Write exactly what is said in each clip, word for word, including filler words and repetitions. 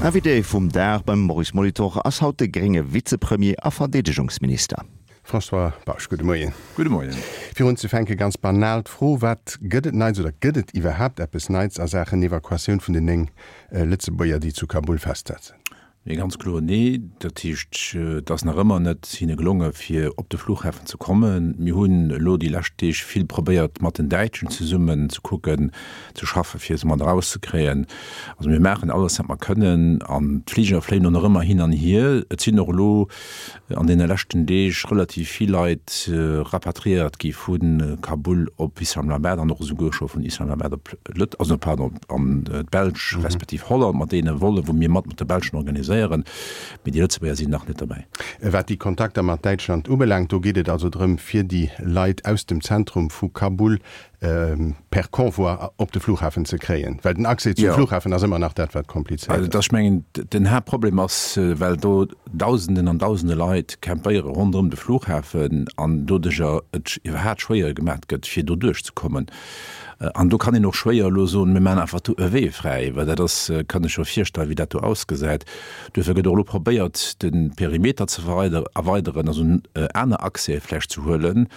Invité vum Dag beim Maurice Molitor ass haut de grénge Vizepremier a Verdeedegungsminister. François Bausch, gudde Moien. Gudde Moien. Fir unzefänke ganz banal d'Fro, Wat gëtt et Neits oder gëtt et iwwerhaapt eppes Neits a Saachen Evakuatioun vun den néng Lëtzebuerger, déi zu Kabul festsetzen? Nee, ganz kloer nee. Dat heescht, et ass nach ëmmer net hinne gelonge fir op de Flughafen ze kommen. Mir hunn elo déi lescht Deeg vill probéiert mat den Däitschen zesummen ze kucken, ze schaffe fir se mat erauszekréien. Also mir maachen alles wat mer kënnen an d'Fliger fléien och nach ëmmer hin an hier. Et sinn och elo an deene leschten Deeg relativ vill Leit rapatriéiert gi vu Kabul op Islamabad an och esouguer scho vun Islamabad op Lët-, also pardon, an d'Belsch respektiv Holland mat deene Volle wou mir mat mat de Belschen organiséieren, mee déi Lëtzebuerger sinn nach net derbäi. Wat déi Kontakter mat Däitschland ubelaangt, do geet et also drëm, fir déi Leit aus dem Zentrum vu Kabul per Convoi op de Flughafen ze kréien, well den Accès zum Flughafen ass ëmmer nach dat, wat komplizéiert ass. Ech mengen, den Haaptproblem ass, well do Dausenden an Dausende Leit campéiere ronderëm de Flughafen an doduercher et iwwerhaapt schwéier gemaat gëtt, fir do duerchzekommen. An do kann een och schwéier elo soen, mir maachen einfach do e Wee fräi, well dat ass, kann ech scho virstellen, wéi dat do ausgesäit. Duerfir gëtt och elo probéiert, de Perimeter ze erweideren, also aner Accèse vläicht ze huelen.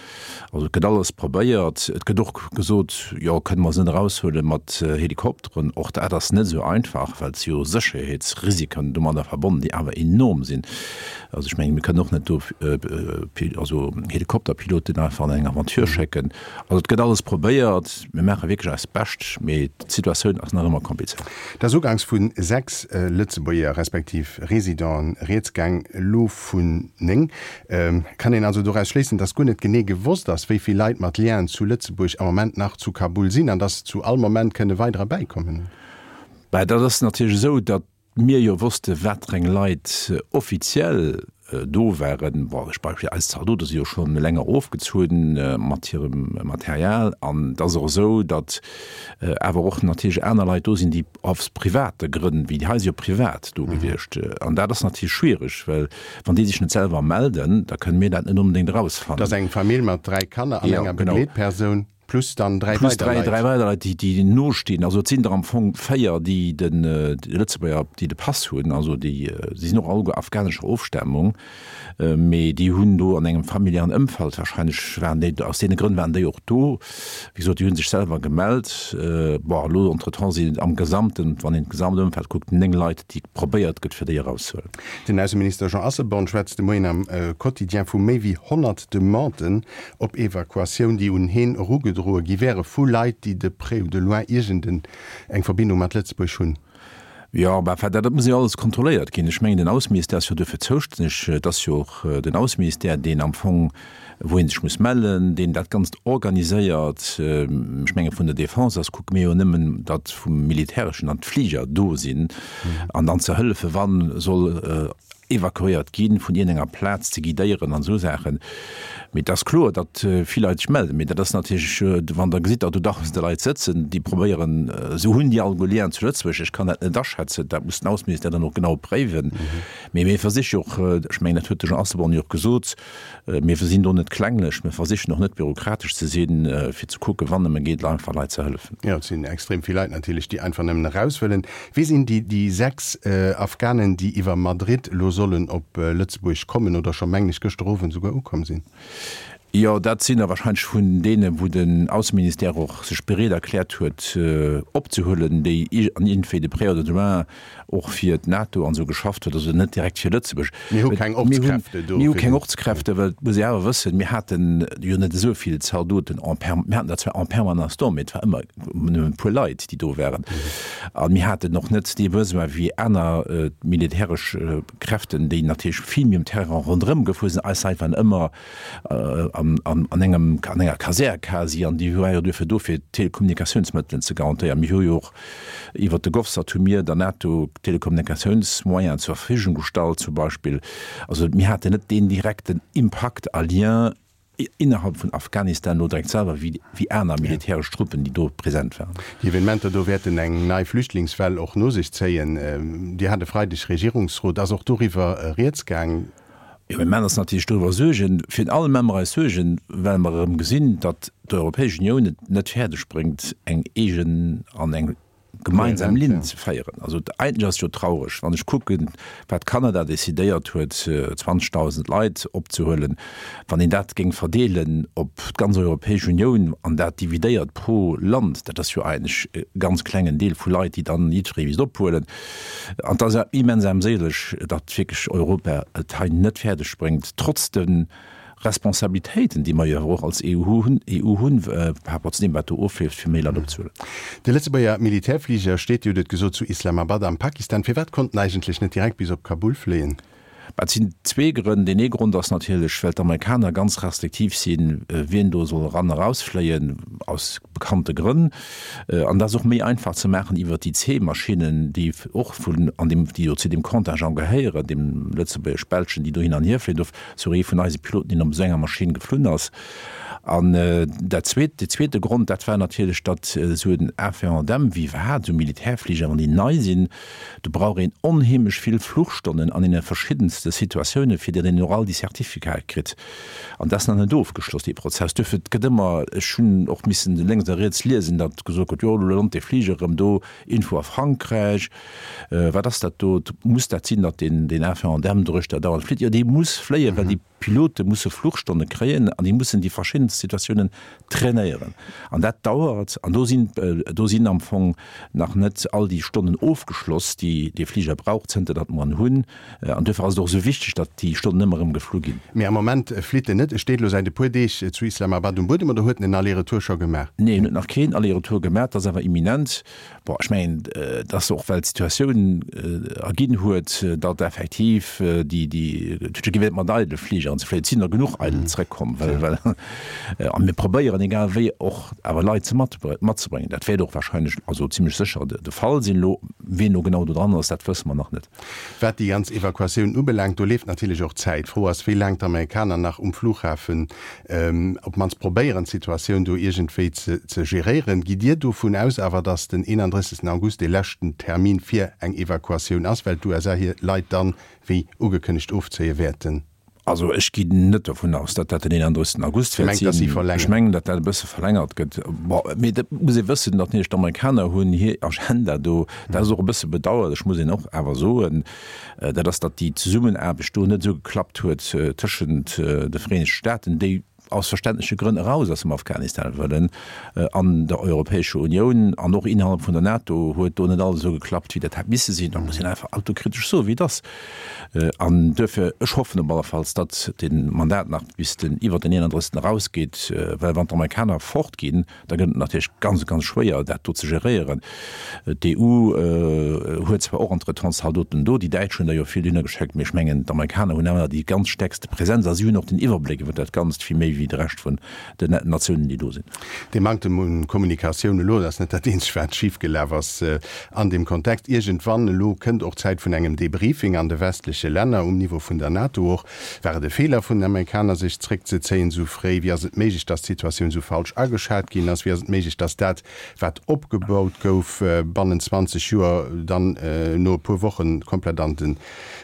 Also et gëtt alles probéiert. Et gëtt och gesot, jo, kënne mer se net eraushuele mat Helikopteren. Och dat ass net esou einfach, well et si jo Sécherheetsrisiken domadder verbonnen, déi awer enorm sinn. Also ech mengen, mir kënnen och net do also Helikopterpiloten einfach an eng Aventure schécken. Also et gëtt alles probéiert. Mir maache wierklech eist Bescht, mee d'Situatioun ass nach ëmmer komplizéiert. Et ass uganks vu sechs Lëtzebuerger respektiv Residenten rieds gaang, elo vun néng. Kann een also doraus schléissen, datt guer net genee gewosst ass, wéi vill Leit mat Lienen zu Lëtzebuerg am Moment nach zu Kabul sinn an datt zu all Moment kënne weiderer bäikommen? Bah, dat ass natierlech esou, datt mir jo wosste watereng Leit offiziell do waren. Bon, ech Beispill, eis Zaldote si jo schonn länger ofgezunn mat hirem Material. An et ass och esou, datt awer och natierlech aner Leit do sinn, déi aus private Grënn, wéi déi hei si jo privat do gewiescht. An dat ass natierlech schwiereg, well wann déi sech net selwer melden, da kënne mir dat net onbedéngt erausfannen. Et ass eng Famill mat dräi Kanner an enger Begleetpersoun. Plus dann dräi Plus weider dräi, Leit. dräi weider Leit, déi, déi nostinn. Also et sinn der am Fong véier, déi den, déi Lëtzebuerger, déi de Pass hunn. Also déi, si sinn och alleguer afghanescher Ofstamung, mee déi hunn do an engem familiären Ëmfeld wahrscheinlech waren déi, aus deene Grënn waren déi och do. Wéi gesot, déi hu sech selwer gemellt. Bon, elo entretemps sinn et am Gesamten, wann een d'gesamt Ëmfeld kuckt, néng Leit, déi probéiert gëtt, fir déi erauszehuelen. Den Ausseminister Jean Asselborn schwätzt de Moien am Quotidien vu méi wéi honnert Demanden op Evakuatioun, déi un heen erugedroe gi wäre vu Leit, déi de près ou de loin iergend eng Verbindung mat Lëtzebuerg hunn. Jo, mä enfin, dat muss jo alles kontrolléiert ginn. Ech mengen, den Ausseministère ass jo duerfir zoustänneg. Et ass jo och den Ausseministère, deen am Fong, wou ee sech muss mellen, deen dat Ganzt organiséiert. Ech menge vun der Defense aus kucke mir jo nëmmen, datt vum Militäreschen dann d'Fliger do sinn an dann ze hëllefen, wa soll evakuéiert ginn, vun iergendenger Plaz ze guidéieren an esou Saachen. Mee et ass kloer, datt vill Leit sech melden. Mee dat ass natierlech, wann Der gesitt, datt do dausende Leit sëtzen, déi probéieren, esou hunn déi alleguer Lienen zu Lëtzebuerg. Ech kann dat net aschätzen, dat muss den Ausseministère dann och genau préiwen. Mee mir versiche jo och, ech mengen, dat huet de Jean Asselborn jo och gesot, mir sinn do net klenglech, mir versichen och net bürokratesch ze sinn, fir ze kucken, wann nëmme geet, einfach Leit ze hëllefen. Jo, et sinn extrem vill Leit natierlech, déi einfach nëmmen eraus wëllen. Wie sinn déi, déi sechs Afghanen, déi iwwer Madrid elo sollen op Lëtzebuerg kommen oder scho, mengen ech, gëschter Owend esouguer ukomm sinn? Jo, dat sinn der wahrscheinlech vun deenen, wou den Ausseministère och sech bereet erkläert huet opzehuelen, déi an iergendwéi de près oder de loin och fir d'NATO an esou geschafft huet, also net direkt fir Lëtzebuerg. Mir hu keng Ortskräfte do. Mir hu keng Ortskräfte, well et muss ee awer wëssen, mir hate jo net esou vill Zaldoten en per, mir haten der zwar en permanence do, mee et war ëmmer nëmmen e puer Leit, déi do waren. A mir haten och net dee Besoin wéi aner militäresch Kräften, déi natierlech vill méi um Terrain ronderëm gefuer sinn. Eis Leit waren ëmmer an, an, an engem, an enger Kasär quasi, an déi war jo duerfir do, fir d'Telekommunikatiounsmëttelen ze garantéieren. Mir hu jo och iwwert de GovSat hu mir der NATO Telekommunikatiounsmoyenen zur Verfügung gestallt zum Beispill. Also mir haten net deen direkten Impakt a Lien innerhalb vun Afghanistan elo direkt selwer wéi, wéi aner militäresch Truppen, déi do present waren. Déi Evenementer do wäerten eng nei Flüchtlingswell och no sech zéien. Dir hat e Freideg Regierungsrot. Ass och doriwwer rieds gaang? Jo, mir maachen eis natierlech doriwwer Suergen. Virun allem maache mer eis Suergen, well mer erëm gesinn, datt d'Europäesch Unioun et net fäerdeg bréngt, eng eegen an eng gemeinsam Linn ze féieren. Also eigentlech ass et jo traureg, wann ech kucken, wat Kanada decidéiert huet, zwanzegdausend Leit opzehuelen, wann een dat géing verdeelen op d'ganz Europäesch Unioun an dat dividéiert pro Land, dat ass jo eigentlech e ganz klengen Deel vu Leit, déi dann jiddweree misst ophuelen. An et ass immens armséileg, datt wierklech Europa et hei net fäerdeg bréngt, trotz de Responsabilitéiten, déi mer jo awer och als E U hunn, E U hunn, par rapport zu deem, wat do ofleeft, fir méi Leit opzehuelen. De Lëtzebuerger Militärfliger steet, Dir hutt et gesot, zu Islamabad am Pakistan. Firwat konnt en eigentlech net direkt bis op Kabul fléien? Bah, et sinn zwee Grënn. Deen ee Grond ass natierlech, well d'Amerikaner ganz restriktiv sinn, wien do soll eran a rausfléien, aus bekannte Grënn. An dat ass och méi einfach ze maachen iwwert déi C-Maschinnen, déi och vun an deem, déi jo zu deem Contingent gehéieren, deem lëtzebuergesch-belschen, déi do hin an hier fléien. Do ass och ee vun eise Piloten, deen op esou enger Maschinn geflunn ass. An dat zweet, dee zweete Grond, dat war natierlech, datt esou en A vier honnert M wéi iwwerhaapt esou Militärfliger, wann déi nei sinn, do brauch een onheemlech vill Fluchstonnen an deene verschiddenste Situatiounen, fir datt een och all déi Certificate kritt. An dat ass nach net ofgeschloss, dee Prozess. Duerfir, et gëtt ëmmer, ech hunn och missen lénks a riets liesen, datt gesot gëtt, jo, elo lant dee Fliger erëm do iergendwou a Frankräich. Wat ass dat do? Muss dat sinn, datt deen, deen A vier honnert M doruechter dauernd flitt? Jo, dee muss fléien, well déi Pilote musse Fluchstonne kréien an déi mussen déi verschiddenst Situatiounen trainéieren. An dat dauert an do sinn, do sinn am Fong nach net all déi Stonnen ofgeschloss, déi dee Fliger brauch, zënter datt mer en hunn. An duerfir ass et och esou wichteg, datt déi Stonnen ëmmer erëm geflu ginn. Mee am Moment flitt en net. E steet elo säit e puer Deeg zu Islamabad um Buedem oder huet en en Aller-retour scho gemaach? Nee, en huet nach keen Aller-retour gemaach. Dat ass awer imminent. Bon, ech mengen, et ass och, well d'Situatioun erginn huet, datt effektiv déi, déi, et huet jo kee Wäert mat eidele Fligeren ze fléien. Et sinn der genuch eidel zrëckkomm, well, well, a mir probéieren egal wéi och awer Leit ze mat, matzebréngen. Dat wäert och wahrscheinlech, also zimlech sécher de, de Fall sinn. Elo, wien elo genau do dran ass, dat wësse mer nach net. Wat déi ganz Evakuatioun ubelaangt, do leeft natierlech och d'Zäit. D'Fro ass, wéi laang d'Amerikaner nach um Flughafen op d'mannst probéieren, d'Situatioun do iergendwéi ze, ze geréieren. Gitt Dir dovun aus awer, datt den eenandrëssegsten August dee leschten Termin fir eng Evakuatioun ass, well d'U S A hir Leit dann, wéi ugekënnegt, ofzéie wäerten? Also ech ginn net dovun aus, datt dat den eenandrëssegsten August wäert sinn. Mengt, datt si verlängert? Ech mengen, datt dat e bësse verlängert gëtt. Bon, mee dat muss ee wëssen, datt natierlech d'Amerikaner hunn hir Agenda do. Dat ass och e bësse bedauerlech, muss een och awer soen, dat ass, datt déi Zesummenaarbecht do net esou geklappt huet tëschent de Vereenegte Staaten, déi aus verständleche Grënn eraus aus dem Afghanistan wëllen, an der Europäescher Unioun an och innerhalb vun der NATO huet do net alles esou geklappt, wéi dat hätt misse sinn. Da muss een einfach autokritesch soen, wéi et ass. An duerfir, ech hoffen op allefalls, datt dee Mandat nach bis den iwwer den eenandrëssegsten erausgeet, well wann d'Amerikaner fortginn, da gëtt et natierlech ganz, ganz schwéier, dat do ze geréieren. D'E U huet zwar och entretemps Zaldoten do, déi Däitsch hunn der jo vill dohinner geschéckt, mee ech mengen, d'Amerikaner hunn awer déi ganz stäerkste Präsenz a si hunn och den Iwwerbléck iwwer dat Ganzt vill méi wéi de Rescht vun den Natiounen, déi do sinn. Dee Manktem un Kommunikatioun elo, dat ass net dat eenzegt, wat schifgelaf ass an deem Kontext. Iergendwann elo kënnt och d'Zäit vun engem Debriefing an de westleche Länner, um Niveau vun der NATO och. War et e Feeler vun den Amerikaner, sech zréckzezéien esou fréi? Wéi ass et méiglech, datt d'Situatioun esou falsch ageschat ginn ass? Wéi ass et méiglech, datt dat, wat opgebaut gouf bannent zwanzeg Joer, dann no e puer Woche komplett an de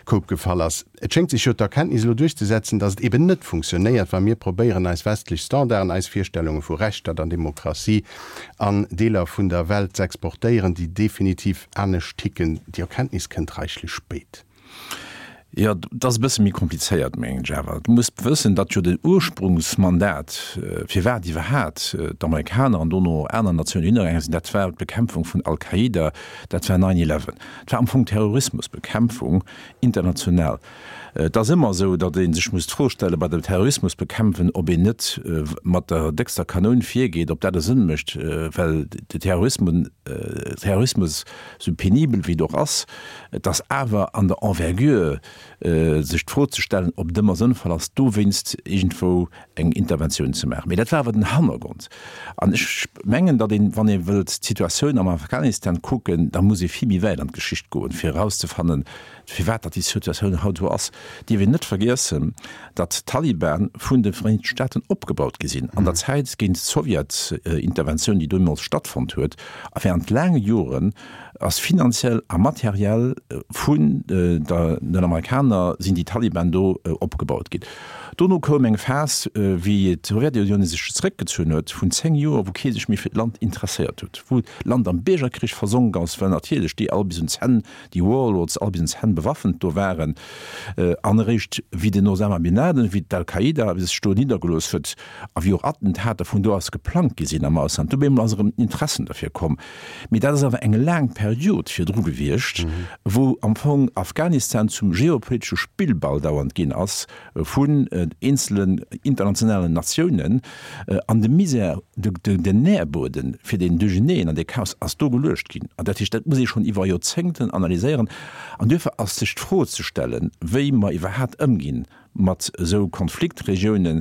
Koup gefall ass? Et schéngt sech jo d'Erkenntnis elo duerchzesetzen, datt et eben net funktionéiert, wa mir probéieren, eis westlech Standarden, eis Virstellunge vu Rechtsstaat an Demokratie an Deeler vun der Welt z'exportéieren, déi definitiv anescht ticken. Déi Erkenntnis kënnt reichlech spéit. Jo, dat ass e bësse méi komplizéiert, mengen ech awer. Du muss wëssen, datt jo den Ursprungsmandat, firwat iwwerhaat d'Amerikaner an dono och aner Natiounen hinnergaange sinn, dat war d'Bekämpfung vun Al-Qaida, dat war nine eleven. Dat war am Fong Terrorismusbekämpfung international. Et ass ëmmer esou, datt ee sech muss d'Fro stelle bei dem Terrorismusbekämpfen, ob een net mat der déckster Kanoun virgeet, ob dat e Sënn mécht, well de Terrorismus, esou penibel wéi et och ass, et ass awer an der Envergure, sech d'Fro ze stellen, ob et ëmmer sënnvoll ass, dowéinst iergendwou eng Interventioun ze maachen. Mee dat war awer den Hannergrond. An ech mengen, datt een, wann ee wëllt d'Situatioun am Afghanistan kucken, da muss ee vill méi wäit an d'Geschicht goen, fir erauszefannen, firwat datt déi Situatioun haut esou ass. Dierf een net vergiessen, datt d'Taliban vun de Vereenegte Staaten opgebaut gi sinn an der Zäit géint d'Sowjetinterventioun, déi deemools stattfonnt huet, a während laange Joren ass finanziell a materiell vun den Amerikaner Amerikaner sinn déi Taliban do opgebaut ginn. Dono koum eng Phas, wéi d'Sowjetunioun sech zeréckgezunn huet, vun zéng Joer, wou kee sech méi fir d'Land interesséiert huet, wou d'Land am Biergerkrich versonk ass, well natierlech déi all bis un d'Zänn, déi Warlords all bis un d'Zänn bewaffent do waren. An eréischt wéi den Osama Bin Laden, wéi d'Al-Qaida sech do niddergelooss huet a wéi och Attentater vun do aus geplangt gi sinn am Ausland, do op eemol ass erëm den Interessen derfir komm. Mee dat ass awer eng laang Period virdru gewiescht, wou am Fong Afghanistan zum geopolitesche Spillball dauernd ginn ass vun eenzelen internationalen Natiounen, an de Misär, den Nährboden fir deen Duercherneen an dee Chaos ass do geluecht ginn. An dat heescht, dat muss ee schonn iwwer Joerzéngten analyséieren. An duerfir ass sech d'Fro ze stellen, wéi mer iwwerhaapt ëmginn mat esou Konfliktregiounen.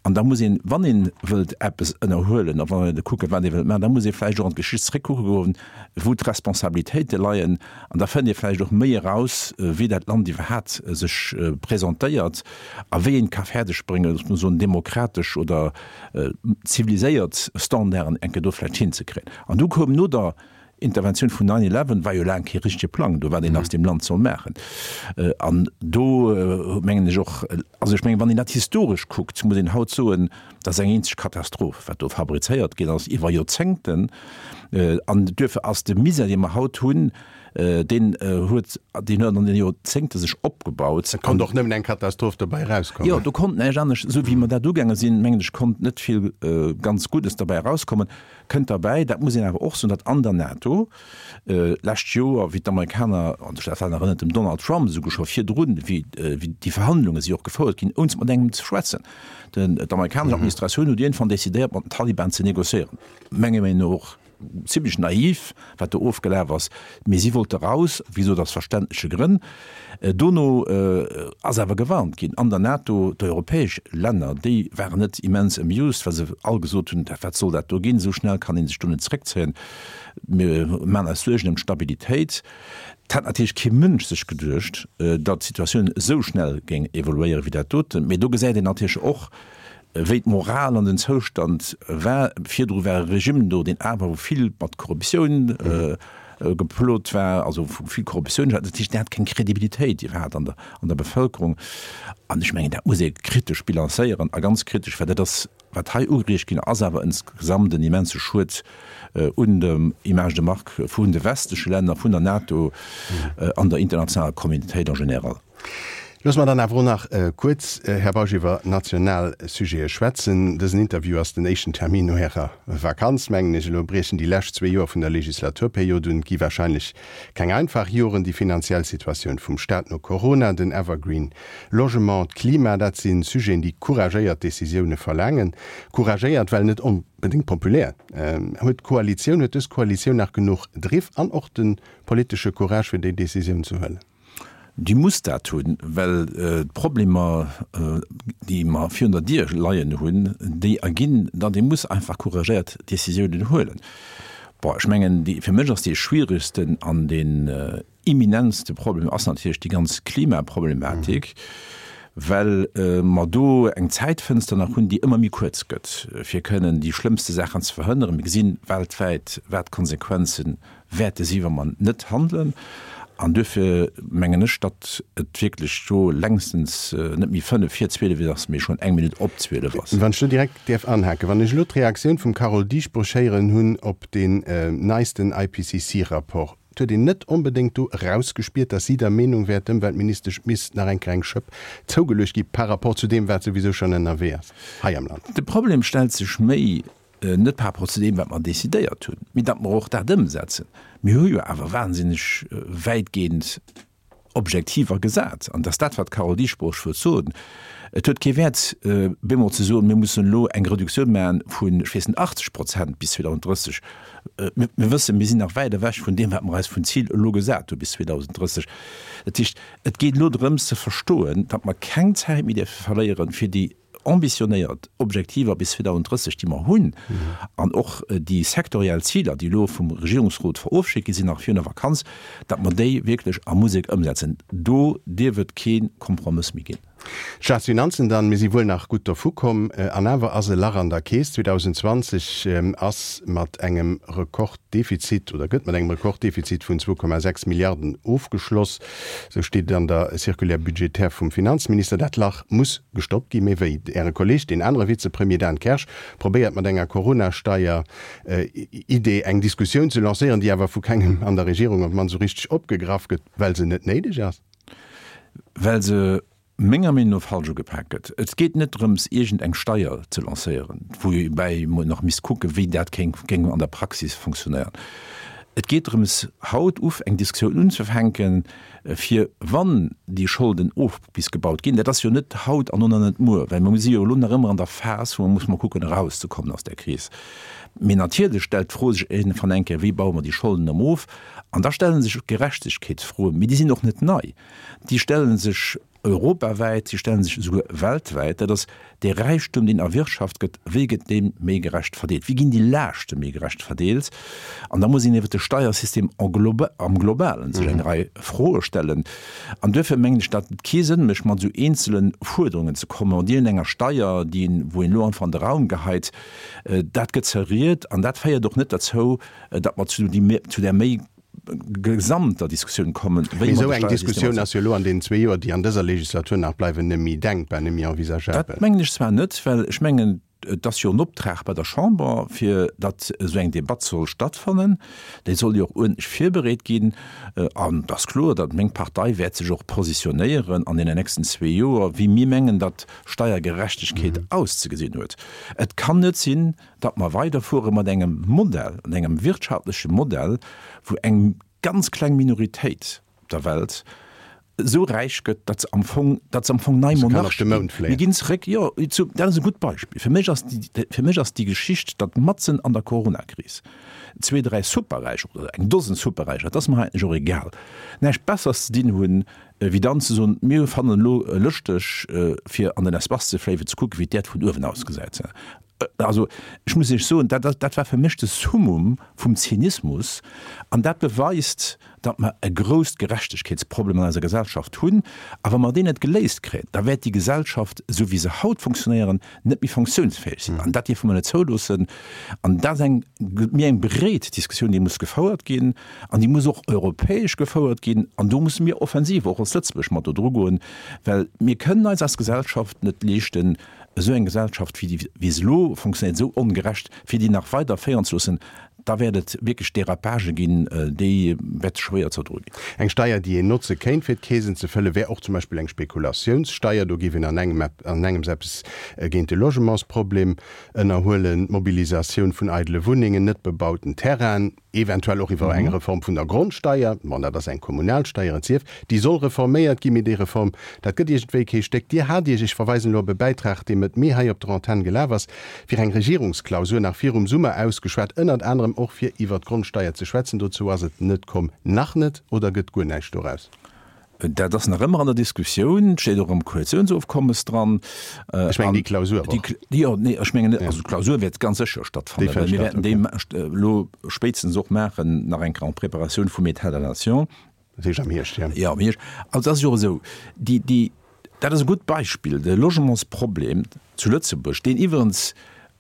An da muss een, wann ee wëllt eppes ënnerhuelen a wann ee wëllt kucken, wat ee wëllt maachen, da muss ee vläicht och an d'Geschicht zréckkucke goen, wou d'Responsabilitéite leien. An da fënnt ee vläicht och méi eraus, wéi dat Land iwwerhaapt sech presentéiert a wéi een et ka fäerdeg bréngen, looss mer soen, demokratesch oder ziviliséiert Standarden eng Kéier do vläicht hinzekréien. An du koum no der Interventioun vun nine eleven war jo laang kee richtege Plang do, wat een aus deem Land soll maachen. An do mengen ech och, also ech mengen, wann een dat historesch kuckt, muss een haut soen, dat ass eng eenzeg Katastroph, wat do fabrizéiert ginn ass iwwer Joerzéngten. An duerfir ass de Misär, dee mer haut hunn, deen huet, deen huet an den Joerzéngte sech opgebaut. Et konnt och nëmmen eng Katastroph dobäi erauskommen. Jo, do konnt näischt anescht, esou wéi mer dat ugaange sinn, mengen ech, konnt net vill ganz Guddes derbäi erauskommen. Kënnt derbäi, dat muss een awer och soen, datt an der NATO d'lescht Joer, wéi d'Amerikaner, an dat war nach ënnert dem Donald Trump esouguer scho virdrun, wéi déi Verhandlunge si och gefouert ginn, ouni mat engem ze schwätzen, d'amerikanesch Administratioun huet iergendwann decidéiert, mat den Taliban ze negociéieren, menger Meenung no och zimlech naiv, wat do ofgelaf ass, mee si wollte raus, wéi gesot aus verständleche Grënn. Dono ass awer gewarnt ginn an der NATO, d'europäesch Länner, déi waren net immens amused, well se all gesot hunn, wat soll dat do ginn, esou schnell kann ee sech do net zréckzéien, mir maachen eis Suergen ëm d'Stabilitéit. Et hat natierlech kee Mënsch sech geduecht, datt d'Situatioun esou schnell géing evoluéieren, wéi dat doten. Mee do gesäit een natierlech och, wéi d'Moral an den Zoustand war. Virdru war e Regime do, deen awer wou vill mat Korruptioun geplot war, also wou vill Korruptioun war. Dat heescht, deen hat keng Kredibilitéit iwwerhaapt an der, an der Bevëlkerung. An ech mengen, dat muss ee kritesch bilanzéieren a ganz kritesch, well dat ass, wat hei ugeriicht ginn ass, awer insgesamt en immense Schued un der Image de marque vun de westleche Länner, vun der NATO an der internationaler Communautéit en général. Loosse mer dann awer och nach kuerz, Här Bausch, iwwer national Sujete schwätzen. Dësen Interview ass den éischten Termin no Ärer Vakanz, mengen ech. Elo briechen déi lescht zwee Joer vun der Legislaturperiod un. Et gi wahrscheinlech keng einfach Joren. Déi finanziell Situatioun vum Staat no Corona, den Evergreen Logement, d'Klima, dat si Sujeten, déi couragéiert Decisioune verlaangen. Couragéiert, well net onbedéngt populär. Huet d'Koalitioun, huet dës Koalitioun nach genuch Driff an och de politesche Courage, fir déi Decisioun ze huelen? Déi muss dat hunn, well d'Problemer, déi mer virun der Dier leien hunn, déi erginn, datt ee muss einfach couragéiert Décisiounen huelen. Bon, ech mengen, déi, fir mech ass dee schwieregsten an deen imminentste Problem ass natierlech déi ganz Klimaproblematik, well mer do eng Zäitfënster nach hunn, déi ëmmer méi kuerz gëtt, fir kënnen déi schlëmmste Saachen ze verhënneren. Mir gesinn weltwäit, wat d'Konsequenze wäerte si wa mer net handelen. An duerfir mengen ech, datt et wierklech do längstens net méi fënnef vir zwielef ass, mee schonn eng Minutt op zwielef ass. Wann ech do direkt däerf anhaken, Wann ech elo d'Reaktioun vum Carole Dieschbourg héieren hunn op deen neisten I P C C Rapport, et huet een net onbedéngt do erausgespiert, datt si der Meenung wär, d'Ëmweltministesch misst nach eng Kéier eng Schëpp zougeluecht gi par rapport zu deem, wat souwisou schonn ënnerwee ass hei am Land. De Problem stellt sech méi net par rapport zu deem, wat mer decidéiert hunn, mee datt mer och dat ëmsetzen. Mir hu jo awer wahnsinneg wäitgehend Objektiver gesat. An dat ass dat, wat d'Carole Dieschbourg wëllt soen. Et huet kee Wäert, bemol ze soen, mir mussen elo eng Reduktioun maachen vun, ech weess net, achtzeg Prozent bis zweedausend drësseg. Mir wëssen, mir sinn nach wäit ewech vun deem, wat mer eis vun Zil elo gesat hu bis zweedausend drësseg. Dat heescht, et geet elo drëms ze verstoen, datt mer keng Zäit méi dierfe verléieren, fir déi ambitionéiert Objektiver bis zweedausend drësseg, déi mer hunn, an och déi sektoriell Ziler, déi elo vum Regierungsrot verofschéckt gi sinn nach virun der Vakanz, datt mer déi wierklech a Musek ëmsetzen. Do dierf et kee Kompromëss méi ginn. D'Staatsfinanzen dann, mir si wuel nach gutt dervu komm, an awer ass e Lach an der Keess. zweedausendzwanzeg ass mat engem Rekorddefizit oder gëtt mat engem Rekorddefizit vun zwou Komma sechs Milliarden ofgeschloss, esou steet et an der Circulaire budgétaire vum Finanzminister. Dat Lach muss gestoppt ginn. Mee wéi? Äre Kolleeg, deen anere Vizepremier Dan Kersch, probéiert mat enger Corona-Steier-Idee eng Diskussioun ze lancéieren, déi awer vu kengem an der Regierung op d'mannst esou richteg opgegraff gëtt, well se net néideg ass. Well se menger Meenung no falsch ugepak gëtt. Et geet net drëms, iergend eng Steier ze lancéieren, woubäi mer nach misst kucken, wéi dat kéng géing an der Praxis fonctionnéieren. Et geet drëms, haut uf eng Diskussioun unzefänken, fir wann déi Scholden of bis gebaut ginn, dat ass jo net haut an och nach net muer, well mer si jo elo nach ëmmer an der Phas, wou mer musse mol kucken erauszekommen aus där Kris. Mee natierlech stellt d'Fro sech iergendwann eng Kéier, Wéi baue mer déi Scholden erëm of? An da stelle sech Gerechtegkeetsfroen, mee déi sinn och net nei. Déi stelle sech europawäit, si stelle sech esouguer weltwäit. Dat ass dee Räichtum, deen erwirtschaft gëtt, wéi gëtt dee méi gerecht verdeelt? Wéi ginn déi Laaschte méi gerecht verdeelt? An da muss een iwwert de Steiersystem en globa, am Globalen sech eng Rei Froe stellen. An duerfir mengen ech, datt et kee Sënn mécht, mat esou eenzele Fuerderungen ze kommen, mat iergendenger Steier, déi een, wou een elo einfach an de Raum geheit. Dat gëtt zerriet an dat féiert och net derzou, datt mer zu zu där méi gesamter Diskussioun kommen, wéi mer de Steiersystem. Mee esou eng Diskussioun ass jo elo an deenen zwee Joer, déi an dëser Legislatur nach bleiwen, net méi denkbar, net méi envisageabel. Dat mengen ech zwar net, well ech mengen, et ass jo en Optrag bei der Chamber, fir datt esou eng Debatt soll stattfannen. Déi soll jo och uerdentlech virbereet ginn. An et ass kloer, datt meng Partei wäert sech och positionéieren an deenen nächsten zwee Joer, wéi mir mengen, datt Steiergerechtegkeet auszegesinn huet. Et kann net sinn, datt mer weiderfuere mat engem Modell, mat engem wirtschaftleche Modell, wou eng ganz kleng Minoritéit op der Welt esou räich gëtt, datt se am Fong, datt se am Fong nei Monarche ginn. Mir ginn zeréck, jo, zu, dat ass e gutt Beispill. Fir mech ass déi, fir mech ass déi Geschicht, datt matzen an der Coronakris zwee, dräi Superräicher oder eng Dosen Superräicher, dat ass mer eigentlech och egal, näischt Besseres ze dinn hunn, wéi dann ze soen, mir fannen elo lëschteg, fir an den Espace ze fléien, fir ze kucken, wéi d'Äerd vun uewen ausgesäit. Also, ech muss Iech soen, dat, dat war fir mech de Summum vum Zynismus. An dat beweist, datt mer e grousst Gerechtegkeetsproblem an eiser Gesellschaft hunn. A wa mer deen net geléist kréien, da wäert déi Gesellschaft, esou wéi se haut funktionéieren, net méi funktionsfäeg sinn. An dat dierfe mer net zouloossen. An dat ass eng méi eng breet Diskussioun, déi muss gefouert ginn. An déi muss och europäesch gefouert ginn. An do musse mir offensiv och als Lëtzebuerg mat do drugoen, well mir kënnen eis als Gesellschaft net leeschten, esou eng Gesellschaft, wéi déi, wéi se elo funktionéiert, esou ongerecht, fir déi nach weider féieren ze loossen, da wäert et wierklech Dérapagë ginn, déi wäerte schwéier ze erdroe ginn. Eng Steier, déi een notze kéint, fir d'Keesen ze fëllen, wär och zum Beispill eng Spekulatiounssteier. Do géif een an engem an engems eppes géint de Logementsproblem ënnerhuelen, d'Mobilisatioun vun eidele Wunnengen, net bebauten Terrainen, eventuell och iwwer eng Reform vun der Grondsteier, bon, dat ass eng Kommunalsteier, et sief, déi soll reforméiert ginn, mee déi Reform, dat gëtt iergendwéi kee Stéck. Dir hat Iech, ech verweisen elo op e Bäitrag, dee Mëtt Mee hei op der Antenn gelaf ass, fir eng Regierungsklausur nach virum Summer ausgeschwat, ënnert anerem och fir iwwer d'Grondsteier ze schwätzen. Dozou ass et net komm, nach net, oder gëtt guer näischt doraus? Dat ass nach ëmmer an der Diskussioun, steet och am Koalitiounsofkommes dran. Ech mengen déi Klausur och. Jo, nee, ech mengen net. Also d'Klausur wäert ganz sécher stattfannen, well mir wäerten déi elo spéitstens och maachen, nach eng Kéier en Preparatioun vum État de la Nation. Dat heescht am Hierscht, jo. Jo, am Hierscht. Also et ass jo och esou, déi, déi, dat ass e gutt Beispill, de Logementsproblem zu Lëtzebuerg, deen iwwerens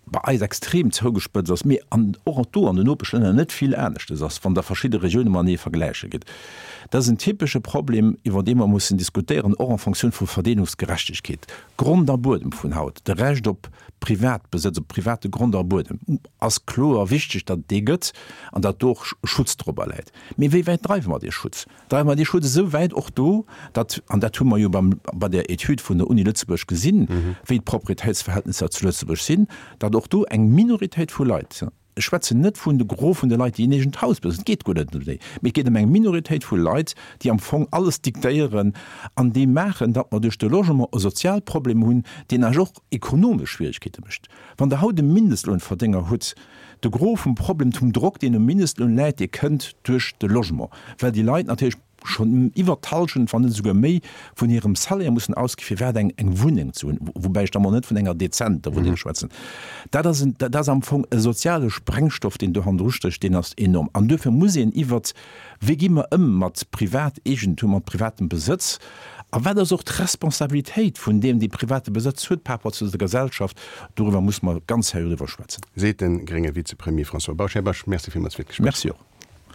bei eis extrem zougespëtzt ass, mee an och do an den Nopeschlänner net vill aneschtes ass, wann Der verschidde Regioune matenee vergläiche gitt. Dat ass en typesche Problem, iwwer dee mer mussen diskutéieren, och en Fonctioun vu Verdeelungsgerechtegkeet. Grond a Buedem vun haut, de Recht op Privatbesëtz, op private Grond a Buedem, ass kloer wichteg, datt et dee gëtt an datt do och Schutz dorobber läit. Mee wéi wäit dreiwe mer dee Schutz? Dreiwe mer dee Schutz esou wäit och do, datt, an dat hu mer jo beim, bei der Etüd vun der Uni Lëtzebuerg gesinn, wéi d'Proprietéitsverhältnisser zu Lëtzebuerg sinn, datt och do eng Minoritéit vu Leit, ech schwätzen net vun de Gros vun de Leit, déi en eegent Haus besitzen, et geet guer net ëm déi, mee et geet ëm eng Minoritéit vu Leit, déi am Fong alles diktéieren an déi maachen, datt mer duerch de Logement e Sozialproblem hunn, deen eis och ekonomesch Schwierigkeete mécht. Wann Der haut e Mindestlounverdénger hutt, de Gros vum Problem, vum Drock, deen um Mindestloun läit, dee kënnt duerch de Logement, well déi Leit natierlech schonn iwwert d'Hallschent, wann net esouguer méi, vun hirem Salaire mussen ausgi fir iwwerhaapt eng eng Wunneng ze hunn, woubäi ech da mol net vun enger dezenter Wunneng schwätzen. Dat ass en, dat ass am Fong e soziale Sprengstoff, deen do hannendru stécht, deen ass enorm. An duerfir muss een iwwert, wéi gi mer ëm mat Privateegentum, mat privatem Besëtz, A wat ass och d'Responsabilitéit vun deem, dee private Besëtz huet par rapport zu der Gesellschaft? Doriwwer muss mer ganz seriö driwwer schwätzen. Seet de grénge Vizepremier François Bausch. Här Bausch, Merci villmools fir d'Gespréich. Merci och.